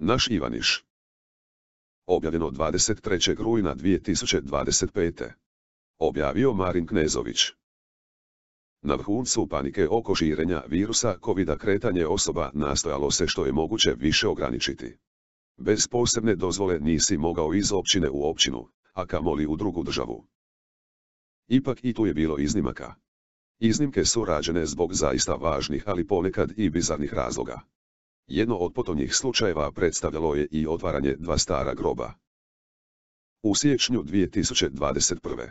Naš Ivaniš. Objavljeno 23. rujna 2025. Objavio Marin Knezović. Na vrhuncu panike oko širenja virusa covida kretanje osoba nastojalo se što je moguće više ograničiti. Bez posebne dozvole nisi mogao iz općine u općinu, a kamoli u drugu državu. Ipak i tu je bilo iznimaka. Iznimke su rađene zbog zaista važnih, ali ponekad i bizarnih razloga. Jedno od potonjih slučajeva predstavljalo je i otvaranje dva stara groba. U siječnju 2021.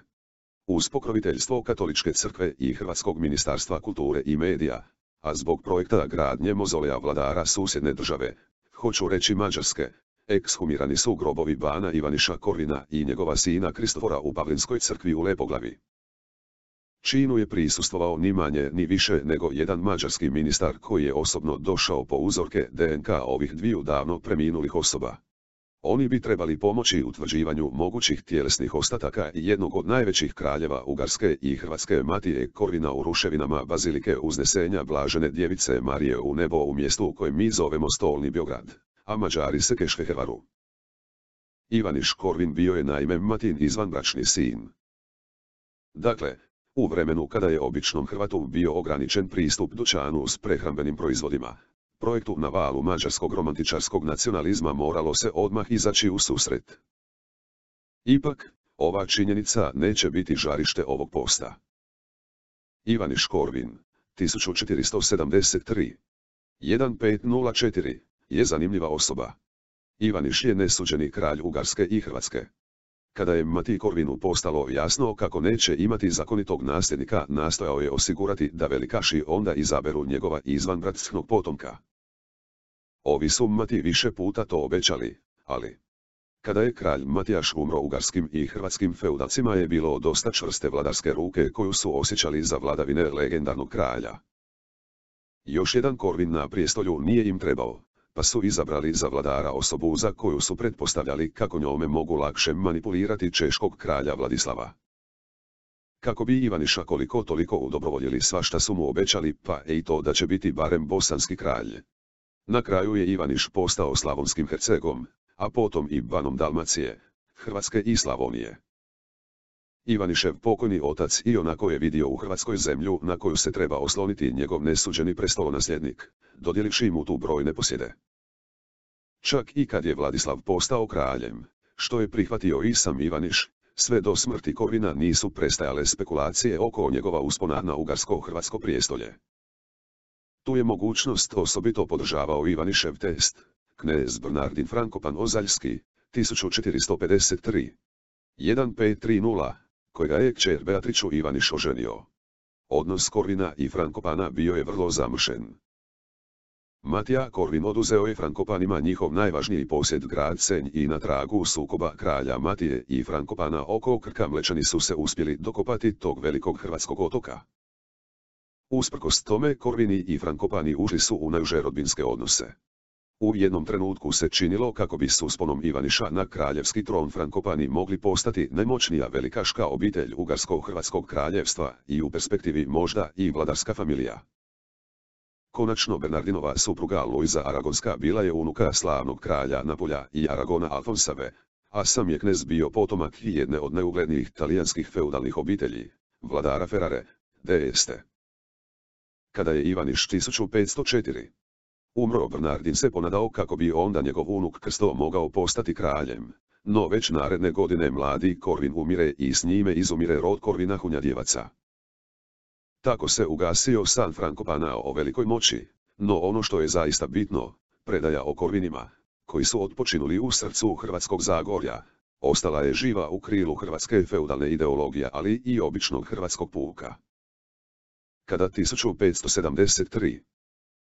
uz pokroviteljstvo Katoličke crkve i Hrvatskog ministarstva kulture i medija, a zbog projekta gradnje mozoleja vladara susjedne države, hoću reći Mađarske, ekshumirani su grobovi bana Ivaniša Korvina i njegova sina Kristofora u Pavlinskoj crkvi u Lepoglavi. Činu je prisustvovao ni manje ni više nego jedan mađarski ministar koji je osobno došao po uzorke DNK ovih dviju davno preminulih osoba. Oni bi trebali pomoći utvrđivanju mogućih tjelesnih ostataka jednog od najvećih kraljeva Ugarske i Hrvatske Matije Korvina u ruševinama Bazilike Uznesenja Blažene Djevice Marije u nebo u mjestu u kojem mi zovemo Stolni Beograd, a Mađari se Keškehevaru. Ivaniš Korvin bio je naime Matin izvanbračni sin. Dakle, u vremenu kada je običnom Hrvatu bio ograničen pristup dućanu s prehrambenim proizvodima, projektu na valu mađarskog romantičarskog nacionalizma moralo se odmah izaći u susret. Ipak, ova činjenica neće biti žarište ovog posta. Ivaniš Korvin, 1473. 1504, je zanimljiva osoba. Ivaniš je nesuđeni kralj Ugarske i Hrvatske. Kada je Matiji Korvinu postalo jasno kako neće imati zakonitog nasljednika, nastojao je osigurati da velikaši onda izaberu njegova izvanbratskog potomka. Ovi su Mati više puta to obećali, ali kada je kralj Matijaš umro ugarskim i hrvatskim feudacima je bilo dosta čvrste vladarske ruke koju su osjećali za vladavine legendarnog kralja. Još jedan Korvin na prijestolju nije im trebao, pa su izabrali za vladara osobu za koju su pretpostavljali kako njome mogu lakše manipulirati češkog kralja Vladislava. Kako bi Ivaniša koliko toliko udobrovoljili svašta su mu obećali, pa i to da će biti barem bosanski kralj. Na kraju je Ivaniš postao Slavonskim Hercegom, a potom i banom Dalmacije, Hrvatske i Slavonije. Ivanišev pokojni otac ionako je vidio u Hrvatskoj zemlju na koju se treba osloniti njegov nesuđeni prestolonasljednik, dodjelivši mu tu brojne posjede. Čak i kad je Vladislav postao kraljem, što je prihvatio i sam Ivaniš, sve do smrti Korvina nisu prestajale spekulacije oko njegova uspona na ugarsko-hrvatsko prijestolje. Tu je mogućnost osobito podržavao Ivanišev test, knez Bernardin Frankopan Ozaljski, 1453. 1530, kojega je kćer Beatriču Ivaniš oženio. Odnos Korvina i Frankopana bio je vrlo zamršen. Matija Korvin oduzeo je Frankopanima njihov najvažniji posjed grad Senj i na tragu sukoba kralja Matije i Frankopana oko Krka Mlečani su se uspjeli dokopati tog velikog hrvatskog otoka. Usprkos tome Korvini i Frankopani ušli su u najuže rodbinske odnose. U jednom trenutku se činilo kako bi s usponom Ivaniša na kraljevski tron Frankopani mogli postati najmoćnija velikaška obitelj Ugarsko-hrvatskog kraljevstva i u perspektivi možda i vladarska familija. Konačno Bernardinova supruga Luiza Aragonska bila je unuka slavnog kralja Napolja i Aragona Alfonsave, a sam je knez bio potomak jedne od najuglednijih talijanskih feudalnih obitelji, vladara Ferrare, d'Este. Kada je Ivaniš 1504. umro, Bernardin se ponadao kako bi onda njegov unuk Krsto mogao postati kraljem, no već naredne godine mladi Korvin umire i s njime izumire rod Korvina Hunjadjevaca. Tako se ugasio san Frankopana o velikoj moći, no ono što je zaista bitno, predaja o Korvinima, koji su otpočinuli u srcu Hrvatskog Zagorja, ostala je živa u krilu hrvatske feudalne ideologije, ali i običnog hrvatskog puka. Kada 1573.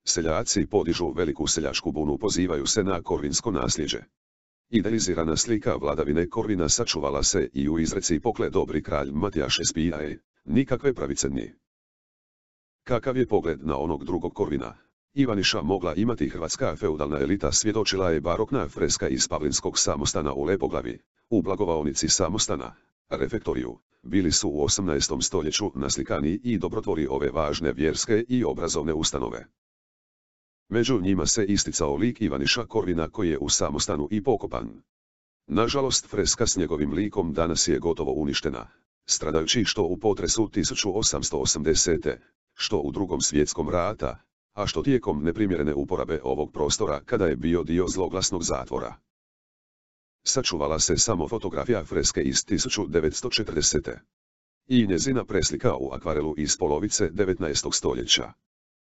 seljaci podižu veliku seljačku bunu, pozivaju se na korvinsko nasljeđe. Idealizirana slika vladavine Korvina sačuvala se i u izreci pokle dobri kralj Matijaš Espijaje, nikakve pravice ni. Kakav je pogled na onog drugog Korvina, Ivaniša mogla imati hrvatska feudalna elita svjedočila je barokna freska iz Pavlinskog samostana u Lepoglavi, u blagovaonici samostana, refektoriju, bili su u 18. stoljeću naslikani i dobrotvori ove važne vjerske i obrazovne ustanove. Među njima se isticao lik Ivaniša Korvina koji je u samostanu i pokopan. Nažalost, freska s njegovim likom danas je gotovo uništena, stradajući što u potresu 1880. što u Drugom svjetskom rata, a što tijekom neprimjerene uporabe ovog prostora kada je bio dio zloglasnog zatvora. Sačuvala se samo fotografija freske iz 1940. i njezina preslika u akvarelu iz polovice 19. stoljeća.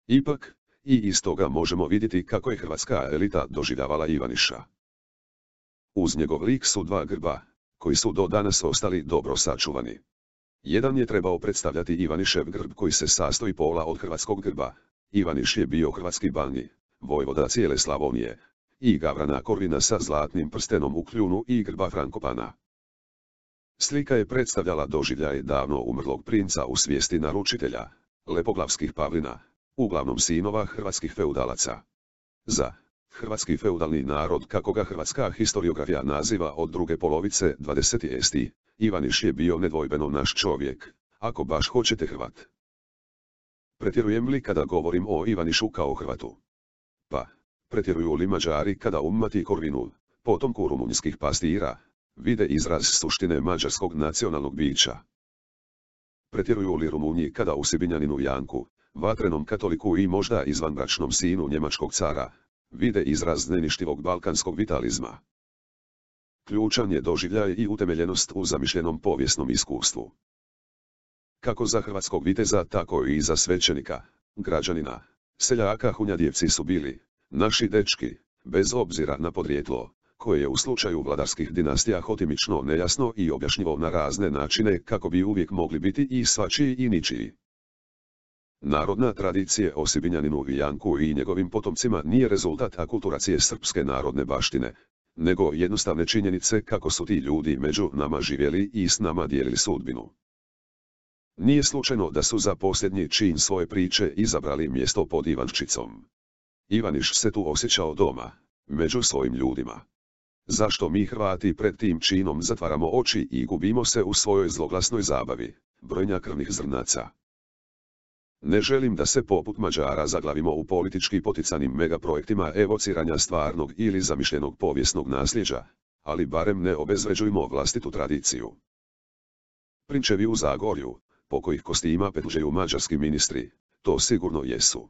Ipak, i iz toga možemo vidjeti kako je hrvatska elita doživljavala Ivaniša. Uz njegov lik su dva grba, koji su do danas ostali dobro sačuvani. Jedan je trebao predstavljati Ivanišev grb koji se sastoji pola od hrvatskog grba. Ivaniš je bio hrvatski bani, vojvoda cijele Slavonije, i Gavrana Korvina sa zlatnim prstenom u kljunu i grba Frankopana. Slika je predstavljala doživljaj davno umrlog princa u svijesti naručitelja, lepoglavskih Pavlina, uglavnom sinova hrvatskih feudalaca. Za hrvatski feudalni narod, kako ga hrvatska historiografija naziva od druge polovice 20. st., Ivaniš je bio nedvojbeno naš čovjek, ako baš hoćete Hrvat. Pretjerujem li kada govorim o Ivanišu kao Hrvatu? Pa, pretjeruju li Mađari kada u Matiji Korvinu, potomku rumunjskih pastira, vide izraz suštine mađarskog nacionalnog bića? Pretjeruju li Rumunji kada u Sibinjaninu Janku, vatrenom katoliku i možda izvanbračnom sinu njemačkog cara, vide izraz neništivog balkanskog vitalizma? Ključan je doživljaj i utemeljenost u zamišljenom povijesnom iskustvu. Kako za hrvatskog viteza, tako i za svećenika, građanina, seljaka Hunjadijevci su bili naši dečki, bez obzira na podrijetlo, koje je u slučaju vladarskih dinastija hotimično nejasno i objašnjivo na razne načine kako bi uvijek mogli biti i svačiji i ničiji. Narodna tradicija o Sibinjaninu Janku i njegovim potomcima nije rezultat akulturacije srpske narodne baštine, nego jednostavne činjenice kako su ti ljudi među nama živjeli i s nama dijelili sudbinu. Nije slučajno da su za posljednji čin svoje priče izabrali mjesto pod Ivanščicom. Ivaniš se tu osjećao doma, među svojim ljudima. Zašto mi Hrvati pred tim činom zatvaramo oči i gubimo se u svojoj zloglasnoj zabavi, brojenja krvnih zrnaca? Ne želim da se poput Mađara zaglavimo u politički poticanim megaprojektima evociranja stvarnog ili zamišljenog povijesnog nasljeđa, ali barem ne obezvređujmo vlastitu tradiciju. Prinčevi u Zagorju, po kojih kostima petljaju mađarski ministri, to sigurno jesu.